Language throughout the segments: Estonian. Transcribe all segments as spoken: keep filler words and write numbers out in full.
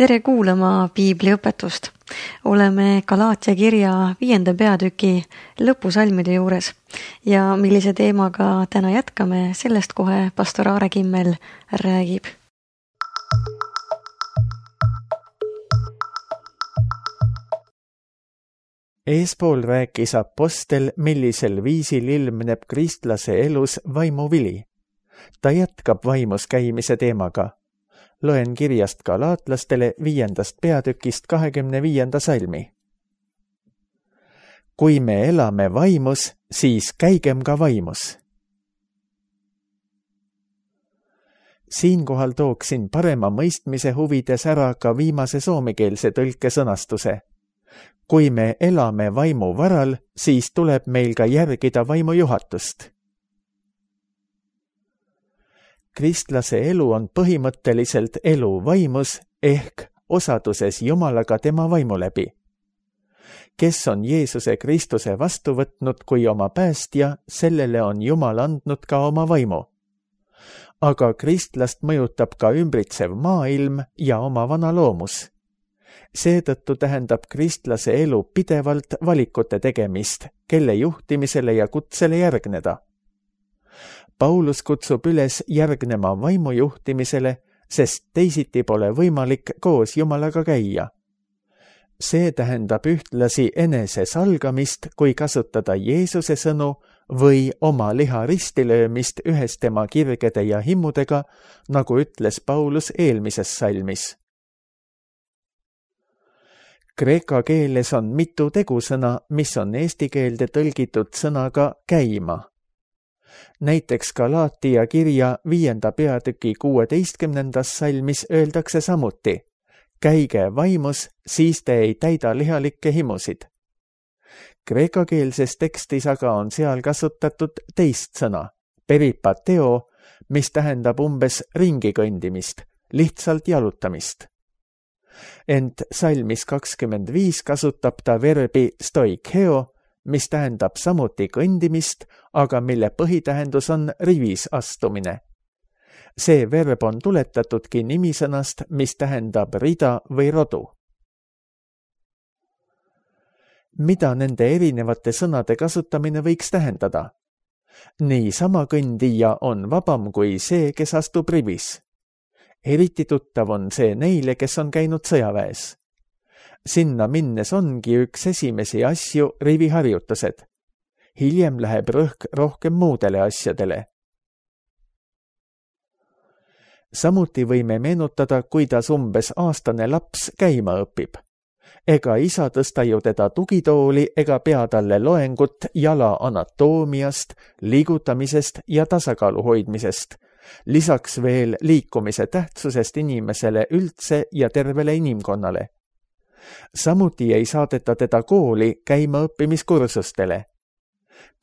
Tere kuulama piibliõpetust. Oleme Galaatia kirja viienda peatüki lõpusalmide juures ja millise teemaga täna jätkame, sellest kohe pastor Aare Kimmel räägib. Eespool rääkis apostel, millisel viisil ilmneb kristlase elus vaimuvili. Ta jätkab vaimus käimise teemaga. Loen kirjast galaatlastele viiendast peatükist kahekümne viienda salmi. Kui me elame vaimus, siis käigem ka vaimus. Siinkohal tooksin parema mõistmise huvides ära ka viimase soomekeelse tõlke sõnastuse. Kui me elame vaimu varal, siis tuleb meil ka järgida vaimu juhatust. Kristlase elu on põhimõtteliselt elu vaimus ehk osaduses Jumalaga tema vaimu läbi. Kes on Jeesuse Kristuse vastu võtnud kui oma päästja, sellele on Jumal andnud ka oma vaimu. Aga kristlast mõjutab ka ümbritsev maailm ja oma vana loomus. Seetõttu tähendab kristlase elu pidevalt valikute tegemist, kelle juhtimisele ja kutsele järgneda. Paulus kutsub üles järgnema vaimu juhtimisele, sest teisiti pole võimalik koos Jumalaga käia. See tähendab ühtlasi enese salgamist, kui kasutada Jeesuse sõnu või oma liha ristilöömist ühes tema kirgede ja himmudega, nagu ütles Paulus eelmises salmis. Kreeka keeles on mitu tegusõna, mis on eesti keelde tõlgitud sõnaga käima. Näiteks Galaatia kirja viienda peatüki kuueteistkümnendas salmis öeldakse samuti: käige vaimus, siis te ei täida lihalikke himusid. Kreekakeelses tekstis aga on seal kasutatud teist sõna, peripateo, mis tähendab umbes ringi kõndimist, lihtsalt jalutamist. Ent salmis kakskümmend viis kasutab ta verbi stoikeo, mis tähendab samuti kõndimist, aga mille põhitähendus on rivis astumine. See verb on tuletatudki nimisõnast, mis tähendab rida või rodu. Mida nende erinevate sõnade kasutamine võiks tähendada? Niisama kõndija on vabam kui see, kes astub rivis. Eriti tuttav on see neile, kes on käinud sõjaväes. Sinna minnes ongi üks esimesi asju riviharjutused. Hiljem läheb rõhk rohkem muudele asjadele. Samuti võime meenutada, kuidas umbes aastane laps käima õpib. Ega isa tõsta ju teda tugitooli ega pea talle loengut jala anatoomiast, liigutamisest ja tasakaalu hoidmisest. Lisaks veel liikumise tähtsusest inimesele üldse ja tervele inimkonnale. Samuti ei saadeta teda kooli käima õppimiskursustele.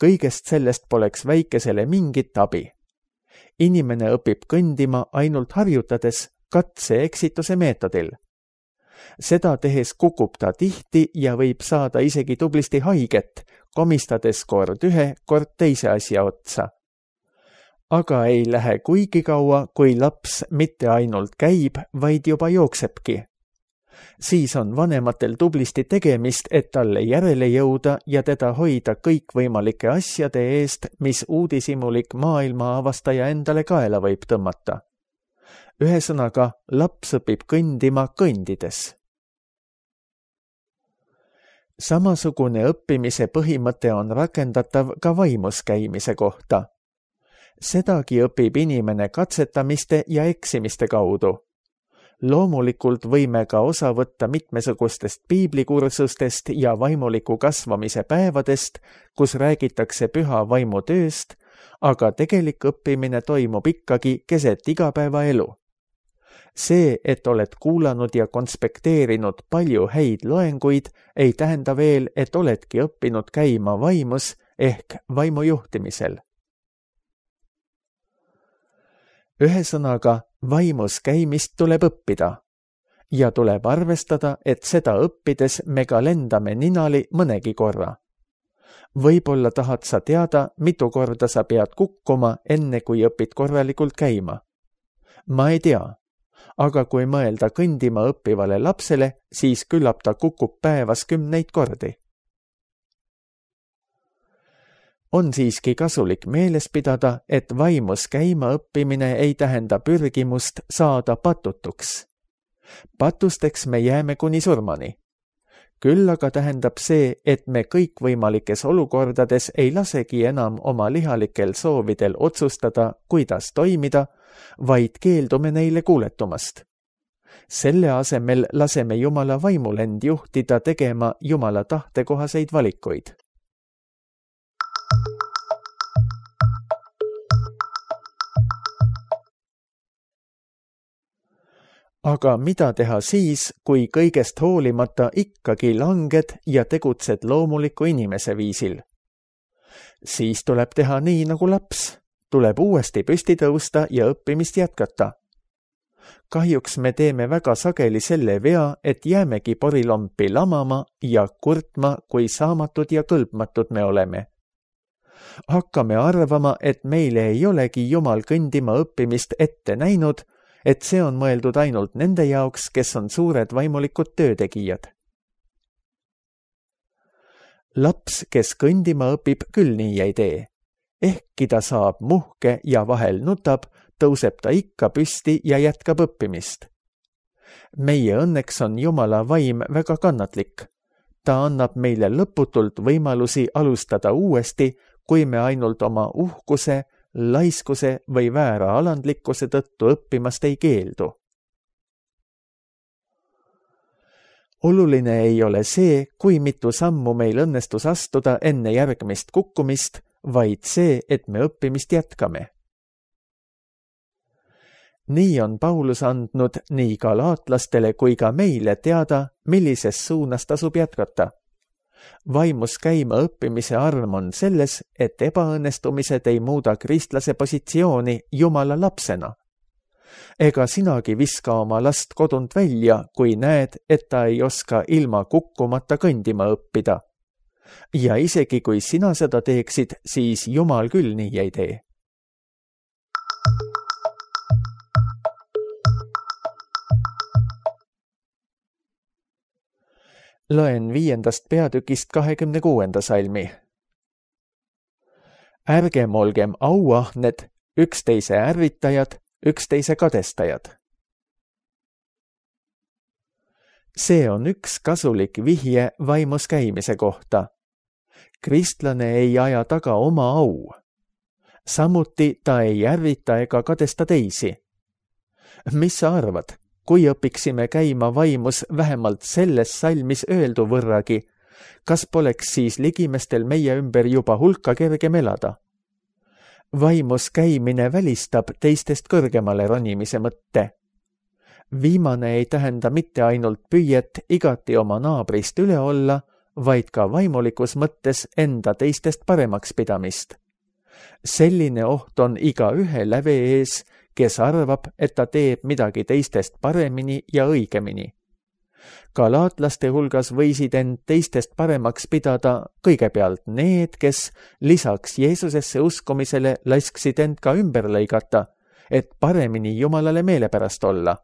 Kõigest sellest poleks väikesele mingit abi. Inimene õpib kõndima ainult harjutades katse-eksituse meetodil. Seda tehes kukub ta tihti ja võib saada isegi tublisti haiget, komistades kord ühe, kord teise asja otsa. Aga ei lähe kuigi kaua, kui laps mitte ainult käib, vaid juba jooksebki. Siis on vanematel tublisti tegemist, et talle järele jõuda ja teda hoida kõikvõimalike asjade eest, mis uudishimulik maailma avastaja endale kaela võib tõmmata. Ühesõnaga, laps õpib kõndima kõndides. Samasugune õppimise põhimõte on rakendatav ka vaimus käimise kohta. Sedagi õpib inimene katsetamiste ja eksimiste kaudu. Loomulikult võime ka osa võtta mitmesugustest piiblikursustest ja vaimuliku kasvamise päevadest, kus räägitakse püha vaimu tööst, aga tegelik õppimine toimub ikkagi keset igapäevaelu. See, et oled kuulanud ja konspekteerinud palju häid loenguid, ei tähenda veel, et oledki õppinud käima vaimus ehk vaimu juhtimisel. Ühesõnaga, vaimus käimist tuleb õppida ja tuleb arvestada, et seda õppides me ka lendame ninali mõnegi korra. Võib-olla tahad sa teada, mitu korda sa pead kukkuma, enne kui õpid korralikult käima. Ma ei tea, aga kui mõelda kõndima õppivale lapsele, siis küllap ta kukub päevas kümneid kordi. On siiski kasulik meeles pidada, et vaimus käima õppimine ei tähenda pürgimust saada patutuks. Patusteks me jääme kuni surmani. Küll aga tähendab see, et me kõikvõimalikes olukordades ei lasegi enam oma lihalikel soovidel otsustada, kuidas toimida, vaid keeldume neile kuuletumast. Selle asemel laseme Jumala vaimul end juhtida tegema Jumala tahtekohaseid valikuid. Aga mida teha siis, kui kõigest hoolimata ikkagi langed ja tegutsed loomuliku inimese viisil? Siis tuleb teha nii nagu laps. Tuleb uuesti püsti tõusta ja õppimist jätkata. Kahjuks me teeme väga sageli selle vea, et jäämegi porilompi lamama ja kurtma, kui saamatud ja kõlbmatud me oleme. Hakkame arvama, et meile ei olegi Jumal kõndima õppimist ette näinud, et see on mõeldud ainult nende jaoks, kes on suured vaimulikud töötegijad. Laps, kes kõndima õpib, küll nii ei tee. Ehkki ta saab muhke ja vahel nutab, tõuseb ta ikka püsti ja jätkab õppimist. Meie õnneks on Jumala vaim väga kannatlik. Ta annab meile lõputult võimalusi alustada uuesti, kui me ainult oma uhkuse, laiskuse või väära alandlikkuse tõttu õppimast ei keeldu. Oluline ei ole see, kui mitu sammu meil õnnestus astuda enne järgmist kukkumist, vaid see, et me õppimist jätkame. Nii on Paulus andnud nii galaatlastele kui ka meile teada, millises suunas tasub jätkata. Vaimus käima õppimise arm on selles, et ebaõnnestumised ei muuda kristlase positsiooni Jumala lapsena. Ega sinagi viska oma last kodunt välja, kui näed, et ta ei oska ilma kukkumata kõndima õppida. Ja isegi kui sina seda teeksid, siis Jumal küll nii ei tee. Loen viiendast peatükist kahekümne kuuenda salmi. Ärgem olgem auahned, üksteise ärritajad, üksteise kadestajad. See on üks kasulik vihje vaimus käimise kohta. Kristlane ei aja taga oma au. Samuti ta ei ärrita ega kadesta teisi. Mis sa arvad? Kui õpiksime käima vaimus vähemalt selles salmis öeldu võrragi, kas poleks siis ligimestel meie ümber juba hulka kergem elada? Vaimus käimine välistab teistest kõrgemale ronimise mõtte. Viimane ei tähenda mitte ainult püüet igati oma naabrist üle olla, vaid ka vaimulikus mõttes enda teistest paremaks pidamist. Selline oht on iga ühe läve ees, kes arvab, et ta teeb midagi teistest paremini ja õigemini. Galaatlaste hulgas võisid end teistest paremaks pidada kõigepealt need, kes lisaks Jeesusesse uskumisele lasksid end ka ümber lõigata, et paremini Jumalale meelepärast olla.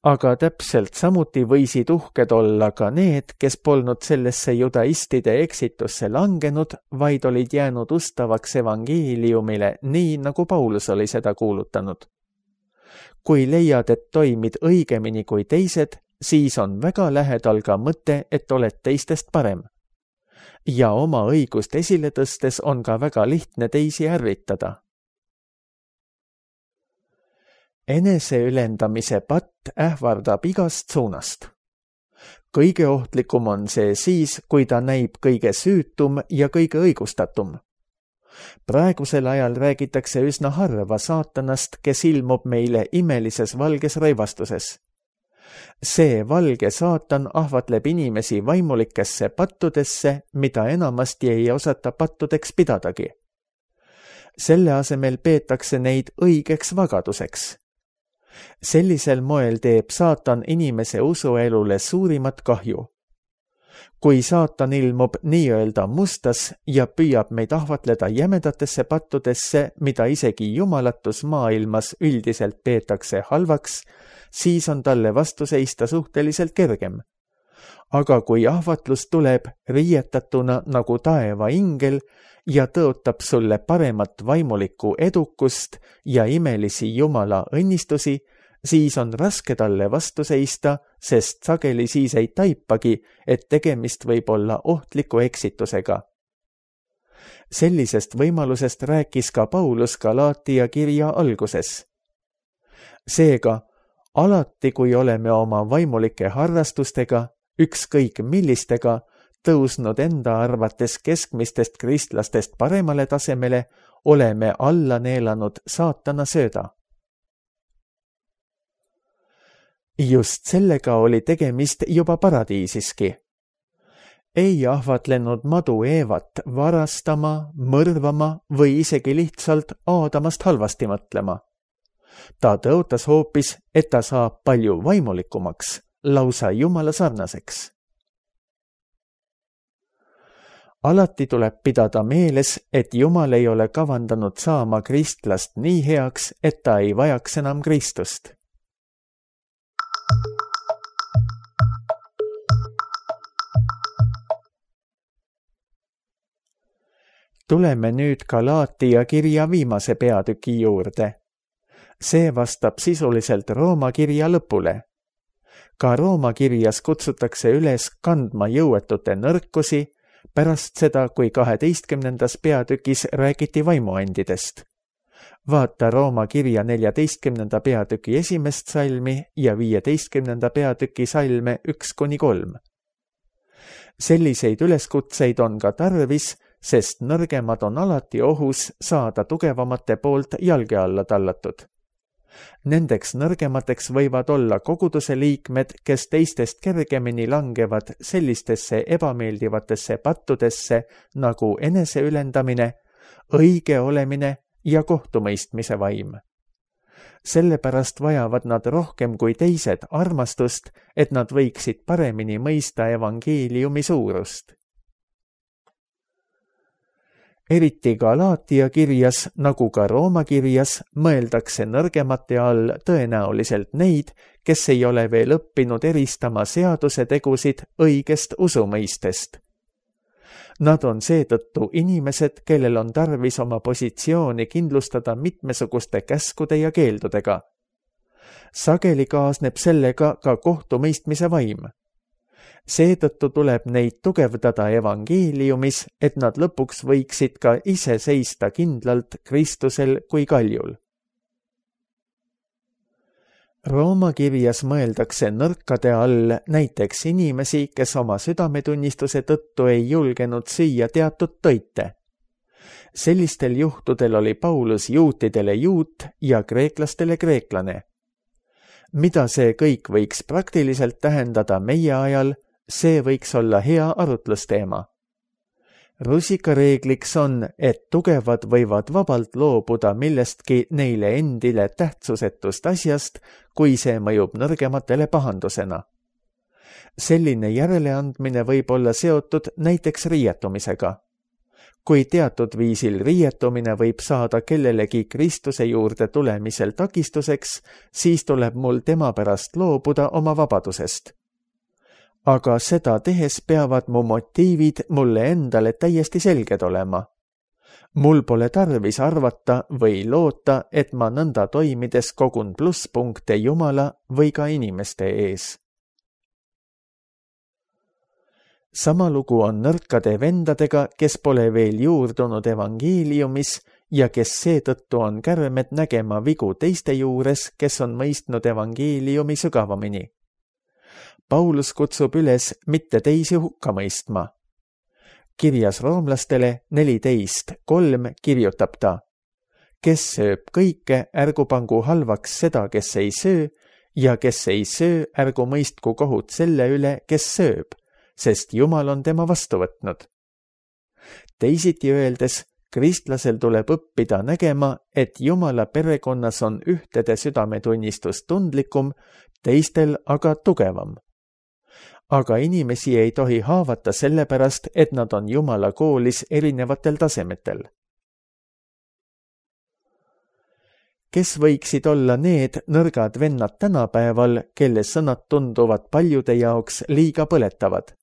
Aga täpselt samuti võisid uhked olla ka need, kes polnud sellesse judaistide eksitusse langenud, vaid olid jäänud ustavaks evangeeliumile, nii nagu Paulus oli seda kuulutanud. Kui leiad, et toimid õigemini kui teised, siis on väga lähedal ka mõte, et oled teistest parem. Ja oma õigust esile tõstes on ka väga lihtne teisi ärritada. Eneseülendamise patt ähvardab igast suunast. Kõige ohtlikum on see siis, kui ta näib kõige süütum ja kõige õigustatum. Praegusel ajal räägitakse üsna harva saatanast, kes ilmub meile imelises valges rõivastuses. See valge saatan ahvatleb inimesi vaimulikesse pattudesse, mida enamasti ei osata pattudeks pidadagi. Selle asemel peetakse neid õigeks vagaduseks. Sellisel moel teeb saatan inimese usuelule suurimat kahju. kui saatan ilmub nii-öelda mustas ja püüab meid ahvatleda jämedatesse pattudesse, mida isegi jumalatus maailmas üldiselt peetakse halvaks, siis on talle vastu seista suhteliselt kergem. Aga kui ahvatlus tuleb riietatuna nagu taeva ingel ja tõotab sulle paremat vaimulikku edukust ja imelisi jumala õnnistusi, siis on raske talle vastu seista, sest sageli siis ei taipagi, et tegemist võib olla ohtliku eksitusega. Sellisest võimalusest rääkis ka Paulus Galaatia kirja alguses. Seega, alati kui oleme oma vaimulike harrastustega, ükskõik millistega, tõusnud enda arvates keskmistest kristlastest paremale tasemele, oleme alla neelanud saatana sööda. Just sellega oli tegemist juba paradiisiski. Ei ahvatlenud madu Eevat varastama, mõrvama või isegi lihtsalt Aadamast halvasti mõtlema. Ta tõotas hoopis, et ta saab palju vaimulikumaks, lausa jumala sarnaseks. Alati tuleb pidada meeles, et Jumal ei ole kavandanud saama kristlast nii heaks, et ta ei vajaks enam Kristust. Tuleme nüüd Galaatia kirja viimase peatüki juurde. See vastab sisuliselt Rooma kirja lõpule. Ka Rooma kirjas kutsutakse üles kandma jõuetute nõrkusi pärast seda, kui kaheteistkümnendas peatükis räägiti vaimuandidest. Vaata Rooma kirja neljateistkümnenda peatüki esimest salmi ja viieteistkümnenda peatüki salme üks kuni kolm. Selliseid üleskutseid on ka tarvis, sest nõrgemad on alati ohus saada tugevamate poolt jalge alla tallatud. Nendeks nõrgemateks võivad olla koguduse liikmed, kes teistest kergemini langevad sellistesse ebameeldivatesse pattudesse nagu eneseülendamine, õige olemine ja kohtumõistmise vaim. Sellepärast vajavad nad rohkem kui teised armastust, et nad võiksid paremini mõista evangeeliumi suurust. Eriti Galaatia kirjas, nagu ka Rooma kirjas, mõeldakse nõrgemate all tõenäoliselt neid, kes ei ole veel õppinud eristama seaduse tegusid õigest usumõistest. Nad on seetõttu inimesed, kellel on tarvis oma positsiooni kindlustada mitmesuguste käskude ja keeldudega. Sageli kaasneb sellega ka kohtumõistmise vaim. Seetõttu tuleb neid tugevdada evangeeliumis, et nad lõpuks võiksid ka ise seista kindlalt Kristusel kui kaljul. Rooma kirjas mõeldakse nõrkade all näiteks inimesi, kes oma südametunnistuse tõttu ei julgenud süüa teatud toite. Sellistel juhtudel oli Paulus juutidele juut ja kreeklastele kreeklane. Mida see kõik võiks praktiliselt tähendada meie ajal, see võiks olla hea arutlusteema. Rusikareegliks on, et tugevad võivad vabalt loobuda millestki neile endile tähtsusetust asjast, kui see mõjub nõrgematele pahandusena. Selline järeleandmine võib olla seotud näiteks riietumisega. Kui teatud viisil riietumine võib saada kellelegi Kristuse juurde tulemisel takistuseks, siis tuleb mul tema pärast loobuda oma vabadusest. Aga seda tehes peavad mu motiivid mulle endale täiesti selged olema. Mul pole tarvis arvata või loota, et ma nõnda toimides kogun plusspunkte Jumala või ka inimeste ees. Sama lugu on nõrkade vendadega, kes pole veel juurdunud evangeeliumis ja kes seetõttu on kärmed nägema vigu teiste juures, kes on mõistnud evangeeliumi sügavamini. Paulus kutsub üles mitte teisi hukka mõistma. Kirjas roomlastele neliteist kolm kirjutab ta: kes sööb kõike, ärgu pangu halvaks seda, kes ei söö, ja kes ei söö, ärgu mõistku kohut selle üle, kes sööb, sest Jumal on tema vastu võtnud. Teisiti öeldes, kristlasel tuleb õppida nägema, et Jumala perekonnas on ühtede südametunnistus tundlikum, teistel aga tugevam. aga inimesi ei tohi haavata sellepärast, et nad on Jumala koolis erinevatel tasemetel. Kes võiksid olla need nõrgad vennad tänapäeval, kelle sõnad tunduvad paljude jaoks liiga põletavad?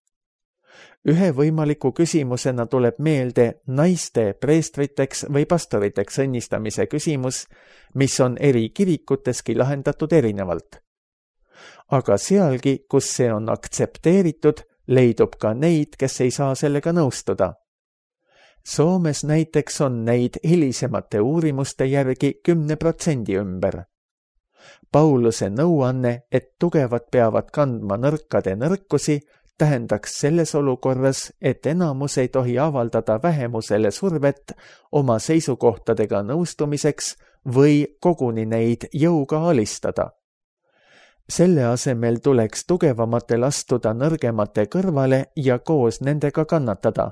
Ühe võimaliku küsimusena tuleb meelde naiste preestriteks või pastoriteks õnnistamise küsimus, mis on eri kirikuteski lahendatud erinevalt. Aga sealgi, kus see on aktsepteeritud, leidub ka neid, kes ei saa sellega nõustuda. Soomes näiteks on neid hilisemate uurimuste järgi kümne protsendi ümber. Pauluse nõuanne, et tugevad peavad kandma nõrkade nõrkusi, tähendaks selles olukorras, et enamus ei tohi avaldada vähemusele survet oma seisukohtadega nõustumiseks või koguni neid jõuga alistada. Selle asemel tuleks tugevamatel astuda nõrgemate kõrvale ja koos nendega kannatada.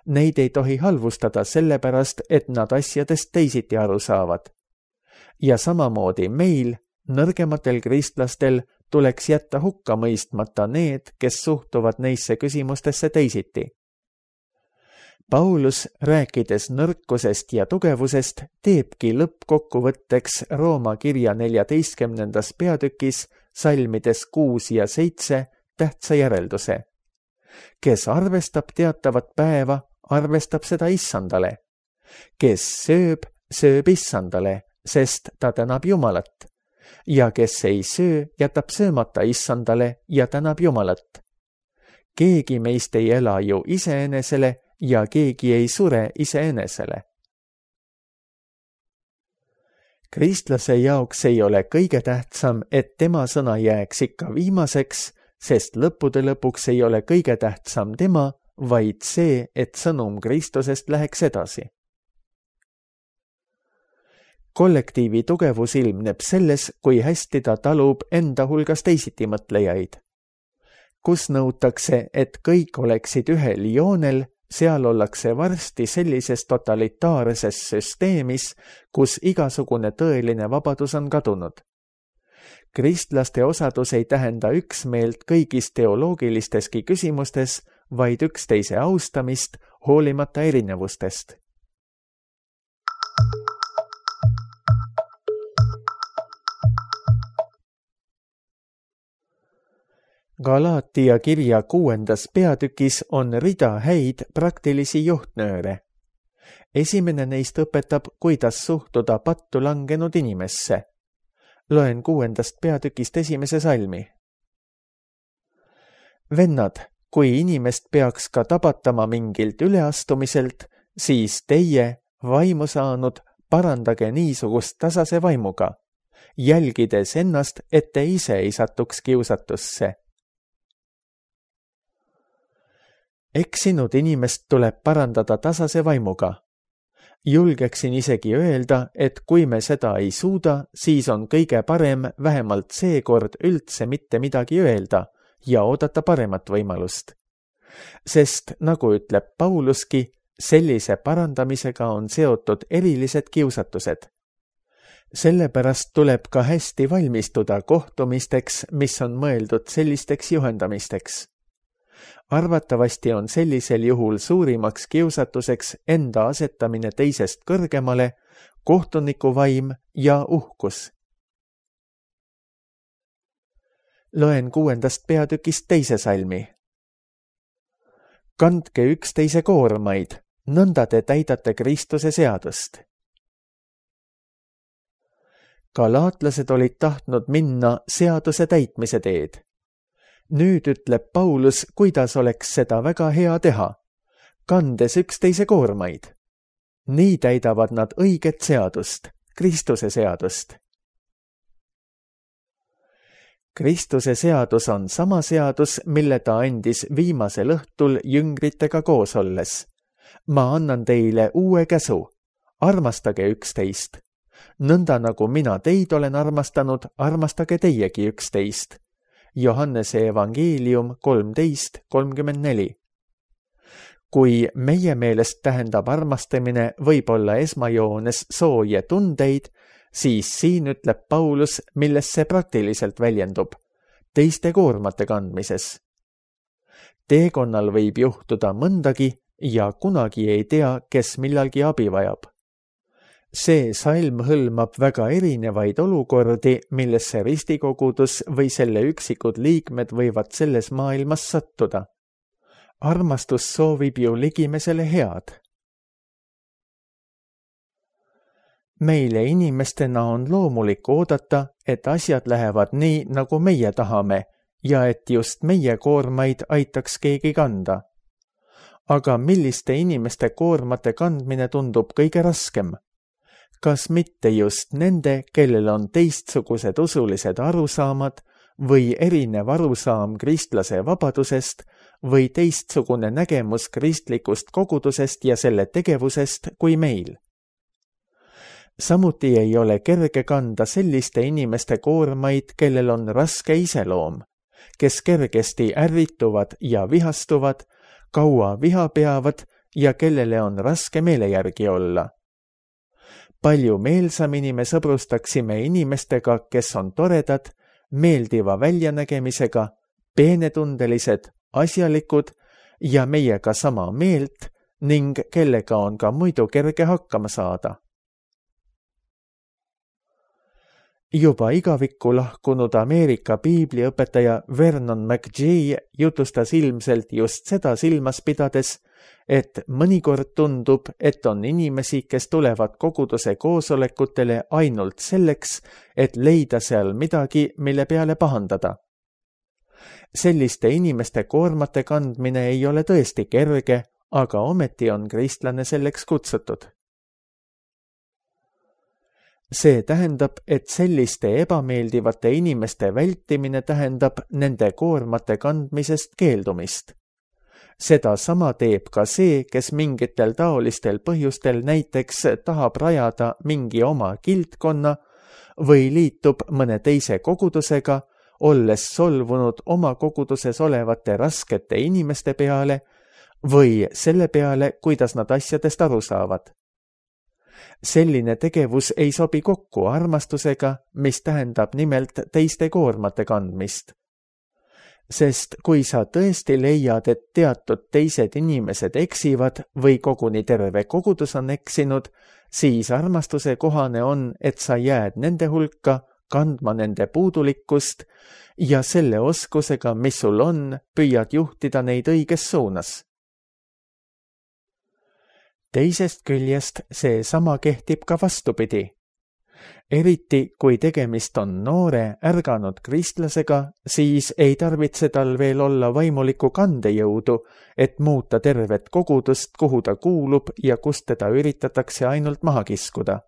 Neid ei tohi halvustada sellepärast, et nad asjadest teisiti aru saavad. Ja samamoodi meil, nõrgematel kristlastel, tuleks jätta hukka mõistmata need, kes suhtuvad neisse küsimustesse teisiti. Paulus, rääkides nõrkusest ja tugevusest, teebki lõppkokkuvõtteks Rooma kirja neljateistkümnendas peatükis salmides kuus ja seitse tähtsa järelduse. Kes arvestab teatavat päeva, arvestab seda issandale. Kes sööb, sööb issandale, sest ta tänab Jumalat. Ja kes ei söö, jätab söömata issandale ja tänab Jumalat. Keegi meist ei ela ju iseenesele ja keegi ei sure iseenesele. Kristlase jaoks ei ole kõige tähtsam, et tema sõna jääks ikka viimaseks, sest lõppude lõpuks ei ole kõige tähtsam tema, vaid see, et sõnum Kristusest läheks edasi. Kollektiivi tugevus ilmneb selles, kui hästi ta talub enda hulgas teisiti mõtlejaid. Kus nõutakse, et kõik oleksid ühel joonel, seal ollakse varsti sellises totalitaarses süsteemis, kus igasugune tõeline vabadus on kadunud. Kristlaste osadus ei tähenda üksmeelt kõigis teoloogilisteski küsimustes, vaid üksteise austamist hoolimata erinevustest. Galaatia kirja kuuendas peatükis on rida häid praktilisi juhtnööre. Esimene neist õpetab, kuidas suhtuda pattu langenud inimesse. Loen kuuendast peatükist esimese salmi. Vennad, kui inimest peaks ka tabatama mingilt üleastumiselt, siis teie, vaimu saanud, parandage niisugust tasase vaimuga, jälgides ennast, et te ise ei satuks kiusatusse. Eksinud inimest tuleb parandada tasase vaimuga. Julgeksin isegi öelda, et kui me seda ei suuda, siis on kõige parem vähemalt seekord üldse mitte midagi öelda ja oodata paremat võimalust. Sest, nagu ütleb Pauluski, sellise parandamisega on seotud erilised kiusatused. Sellepärast tuleb ka hästi valmistuda kohtumisteks, mis on mõeldud sellisteks juhendamisteks. Arvatavasti on sellisel juhul suurimaks kiusatuseks enda asetamine teisest kõrgemale, kohtuniku vaim ja uhkus. Loen kuuendast peatükist teise salmi. Kandke üksteise koormaid, nõnda te täidate Kristuse seadust. Galaatlased olid tahtnud minna seaduse täitmise teed. Nüüd ütleb Paulus, kuidas oleks seda väga hea teha, kandes üksteise koormaid. Nii täidavad nad õiget seadust, Kristuse seadust. Kristuse seadus on sama seadus, mille ta andis viimasel õhtul jüngritega koos olles. Ma annan teile uue käsu, armastage üksteist. Nõnda nagu mina teid olen armastanud, armastage teiegi üksteist. Johannese evangeelium kolmteist kolmkümmend neli. Kui meie meelest tähendab armastamine võib-olla esmajoones sooje tundeid, siis siin ütleb Paulus, milles see praktiliselt väljendub, teiste koormate kandmises, teekonnal võib juhtuda mõndagi ja kunagi ei tea, kes millalgi abi vajab. See salm hõlmab väga erinevaid olukordi, millesse ristikogudus või selle üksikud liikmed võivad selles maailmas sattuda. Armastus soovib ju ligimesele head. Meile inimestena on loomulik oodata, et asjad lähevad nii, nagu meie tahame ja et just meie koormaid aitaks keegi kanda. Aga milliste inimeste koormate kandmine tundub kõige raskem? Kas mitte just nende, kellel on teistsugused usulised arusaamad või erinev arusaam kristlase vabadusest või teistsugune nägemus kristlikust kogudusest ja selle tegevusest kui meil? Samuti ei ole kerge kanda selliste inimeste koormaid, kellel on raske iseloom, kes kergesti ärrituvad ja vihastuvad, kaua viha peavad ja kellele on raske meele järgi olla. Palju meelsamini me sõbrustaksime inimestega, kes on toredad, meeldiva väljanägemisega, peenetundelised, asjalikud ja meiega sama meelt ning kellega on ka muidu kerge hakkama saada. Juba igavikku lahkunud Ameerika piibliõpetaja Vernon McGee jutustas ilmselt just seda silmas pidades, et mõnikord tundub, et on inimesi, kes tulevad koguduse koosolekutele ainult selleks, et leida seal midagi, mille peale pahandada. Selliste inimeste koormate kandmine ei ole tõesti kerge, aga ometi on kristlane selleks kutsutud. See tähendab, et selliste ebameeldivate inimeste vältimine tähendab nende koormate kandmisest keeldumist. Seda sama teeb ka see, kes mingitel taolistel põhjustel näiteks tahab rajada mingi oma kildkonna või liitub mõne teise kogudusega, olles solvunud oma koguduses olevate raskete inimeste peale või selle peale, kuidas nad asjadest aru saavad. Selline tegevus ei sobi kokku armastusega, mis tähendab nimelt teiste koormate kandmist. Sest kui sa tõesti leiad, et teatud teised inimesed eksivad või koguni terve kogudus on eksinud, siis armastuse kohane on, et sa jääd nende hulka kandma nende puudulikkust ja selle oskusega, mis sul on, püüad juhtida neid õiges suunas. Teisest küljest see sama kehtib ka vastupidi. Eriti, kui tegemist on noore, ärganud kristlasega, siis ei tarvitse tal veel olla vaimuliku kandejõudu, et muuta tervet kogudust, kuhu ta kuulub ja kust teda üritatakse ainult maha kiskuda.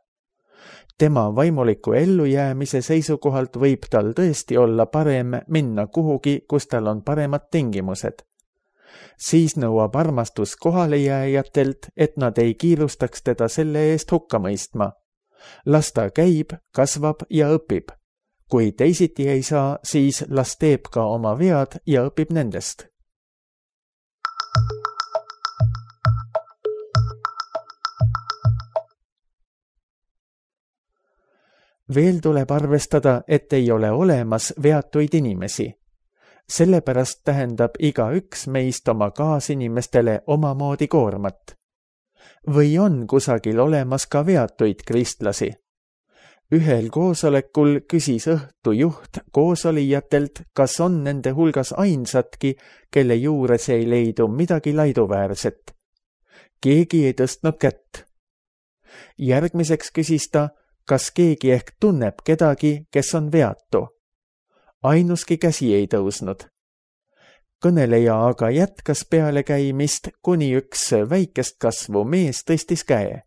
Tema vaimuliku ellujäämise seisukohalt võib tal tõesti olla parem minna kuhugi, kus tal on paremad tingimused. Siis nõuab armastus kohalejääjatelt, et nad ei kiirustaks teda selle eest hukka mõistma. Las ta käib, kasvab ja õpib. Kui teisiti ei saa, siis las teeb ka oma vead ja õpib nendest. Veel tuleb arvestada, et ei ole olemas veatuid inimesi. Sellepärast tähendab iga üks meist oma kaasinimestele omamoodi koormat. Või on kusagil olemas ka veatuid kristlasi? Ühel koosolekul küsis õhtu juht koosolijatelt, kas on nende hulgas ainsatki, kelle juures ei leidu midagi laiduväärset. Keegi ei tõstnud kätt. Järgmiseks küsis ta, kas keegi ehk tunneb kedagi, kes on veatu. Ainuski käsi ei tõusnud. Kõneleja aga jätkas peale käimist, kuni üks väikest kasvu mees tõstis käe.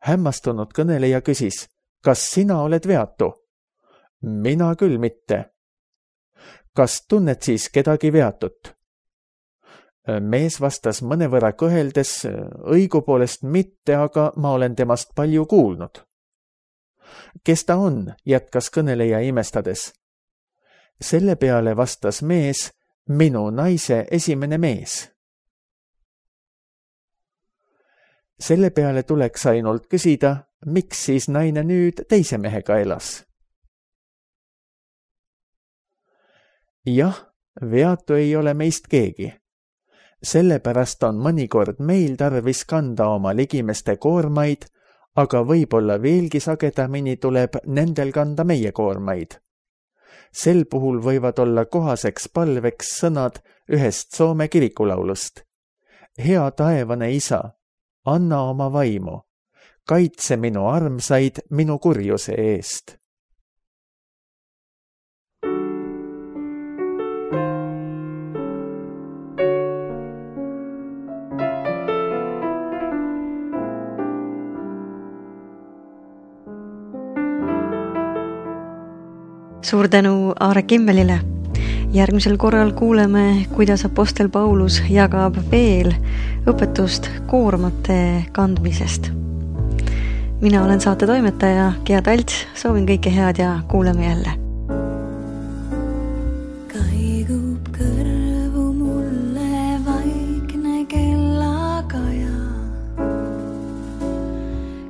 Hämmastunud kõneleja küsis, kas sina oled veatu? Mina küll mitte. Kas tunned siis kedagi veatut? Mees vastas mõnevõrra kõheldes, õigupoolest mitte, aga ma olen temast palju kuulnud. Kes ta on, jätkas kõneleja imestades. Selle peale vastas mees, minu naise esimene mees. Selle peale tuleks ainult küsida, miks siis naine nüüd teise mehega elas? Jah, veatu ei ole meist keegi. Sellepärast on mõnikord meil tarvis kanda oma ligimeste koormaid, aga võib-olla veelgi sagedamini tuleb nendel kanda meie koormaid. Sel puhul võivad olla kohaseks palveks sõnad ühest Soome kirikulaulust. Hea taevane isa, anna oma vaimu, kaitse minu armsaid minu kurjuse eest. Suur tänu Aare Kimmelile. Järgmisel korral kuuleme, kuidas apostel Paulus jagab veel õpetust koormate kandmisest. Mina olen saate toimetaja Gea Talts, soovin kõike head ja kuuleme jälle. Kaigub kõrvu mulle vaikne kellakaja.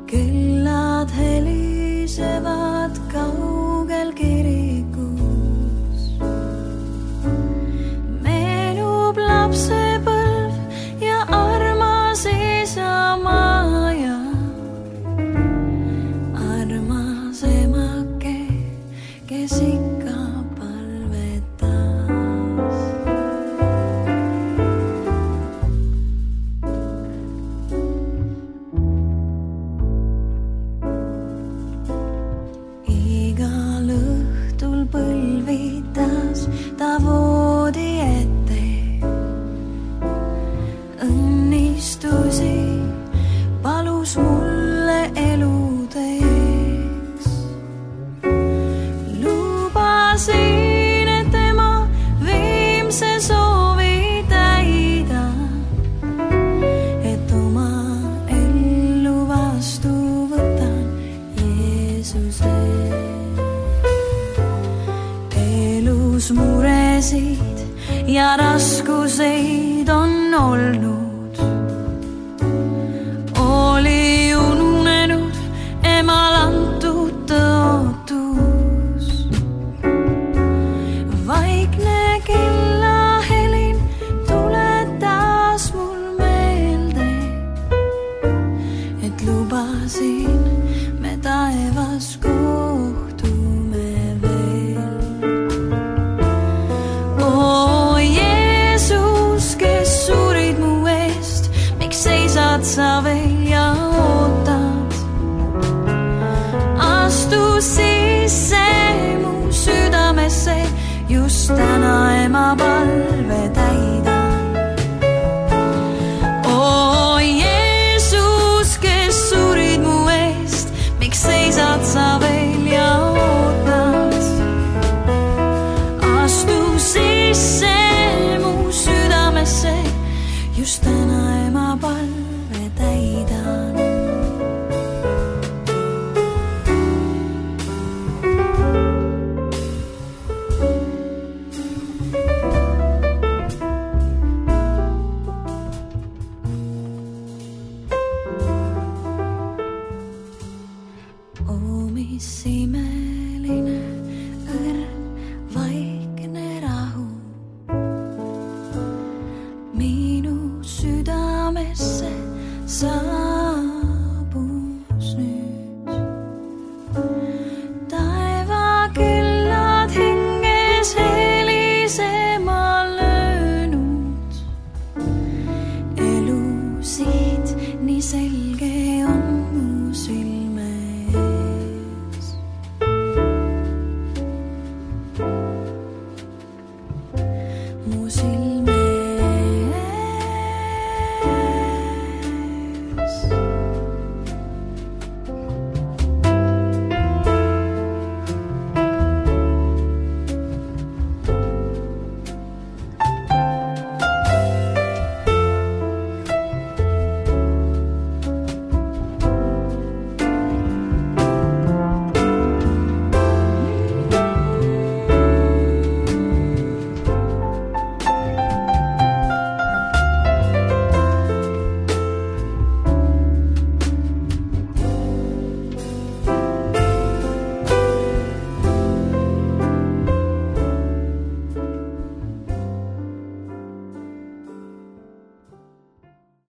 Kellad helisevad kaugel kirikus. Meenub lapsepõlv ja armas isa maja. Armas emake, kes ikka palvetas. Igal õhtul põlvitas ta voodi ette. Õnnistusi palus mulle eludeks. Lubasin, et tema viimse soovi täida, et oma ellu vastu võtan Jeesuse. Elus muresid ja raskuseid on olnud. Oli ununenud emal antud tõotus. Vaikne kellahelin tuletas mul meelde, et lubasin me taevas kohtume veel. O Jeesus, kes surid mu eest, miks seisad sa veel ja ootad? Astu sisse mu südamesse, just täna ema palve täidan. O Jeesus, kes surid mu eest, miks seisad sa veel ja ootad? Astu sisse mu südamesse, just täna ema palve täidan. O mis imeline õrn, vaikne rahu minu südamesse sa